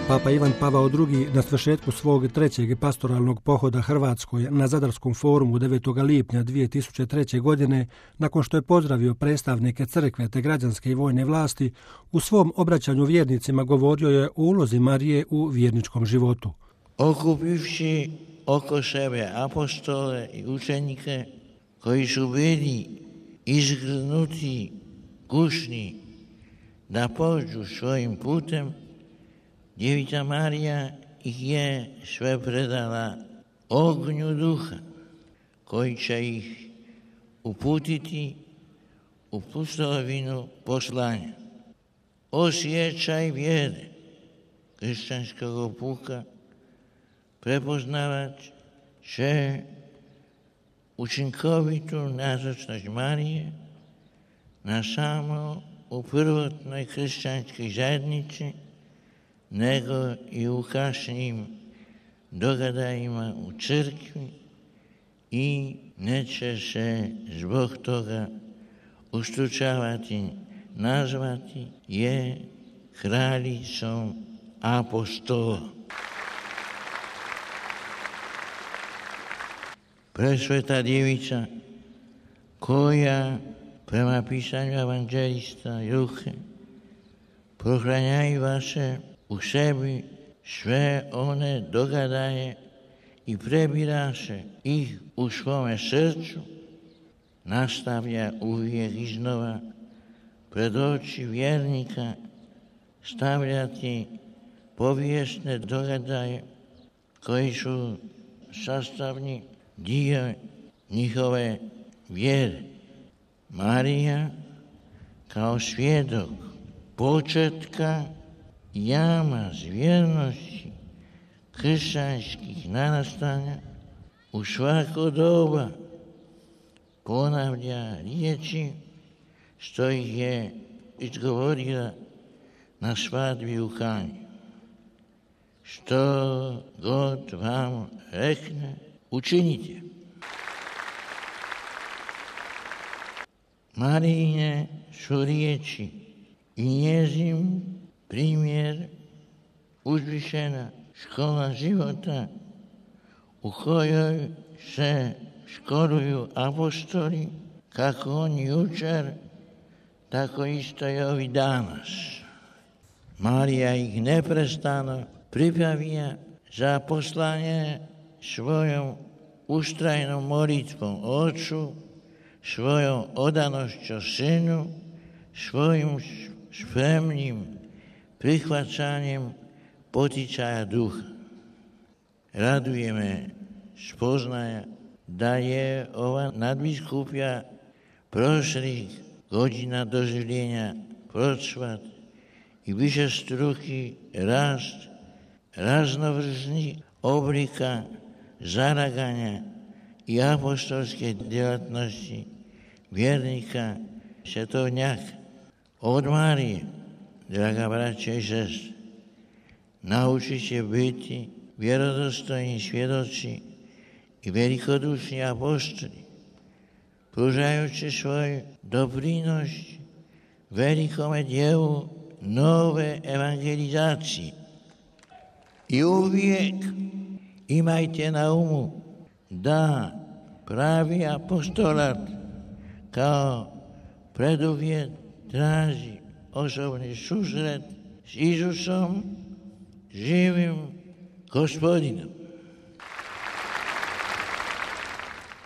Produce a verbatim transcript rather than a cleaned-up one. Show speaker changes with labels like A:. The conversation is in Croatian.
A: Papa Ivan Pavao drugi na svršetku svog trećeg pastoralnog pohoda Hrvatskoj na Zadarskom forumu devetog lipnja dvije tisuće treće. godine, nakon što je pozdravio predstavnike crkve te građanske i vojne vlasti, u svom obraćanju vjernicima govorio je o ulozi Marije u vjerničkom životu.
B: Okupivši oko sebe apostole i učenike koji su bili izgrnuti, kušni da pođu svojim putem, Djevica Marija ih je sve predala ognju duha koji će ih uputiti u pustolovinu poslanja. Osjećaj vjere kršćanskog puka prepoznavat će učinkovitu nazočnost Marije na samo u prvotnoj kršćanskoj zajednici, nego i u kasnijim događajima u crkvi i neće se zbog toga ustručavati nazvati je kraljicom apostola. Presveta djevica koja prema pisanju evanđelista Luke prohranjava se u sebi sve one događaje i prebira se ih u svome srcu, nastavlja uvijek iznova pred oči vjernika stavljati povijesne događaje koji su sastavni dio njihove vjere. Marija kao svjedok početka jamac vjernosti kršćanskih narastanja u svako doba ponavlja riječi što ih je izgovorila na svadbi u Kanji. Što god vam rekne, učinite. Marijine su riječi i njezin primjer uzvišena škola života u kojoj se školuju apostoli, kako oni jučer, tako isto i ovi danas. Marija ih neprestano pripravlja za poslanje svojom ustrajnom molitvom Ocu, svojom odanošću Sinu, svojim spremnim prihvaćanjem poticaja duha. Raduje me spoznaja da je ova nadbiskupija prošlih godina doživljenja procvat i višestruki rast raznovrsnih oblika zaraganja i apostolske djelatnosti vjernika svetovnjaka. Od Marije, draga braća i sestre, naučit će biti vjerodostojni svjedoci i velikodušni apostoli, pružajući svoj doprinos velikome dijelu nove evangelizacije. I uvijek imajte na umu da pravi apostolat kao preduvjet traži osobni susret s Isusom, živim Gospodinom.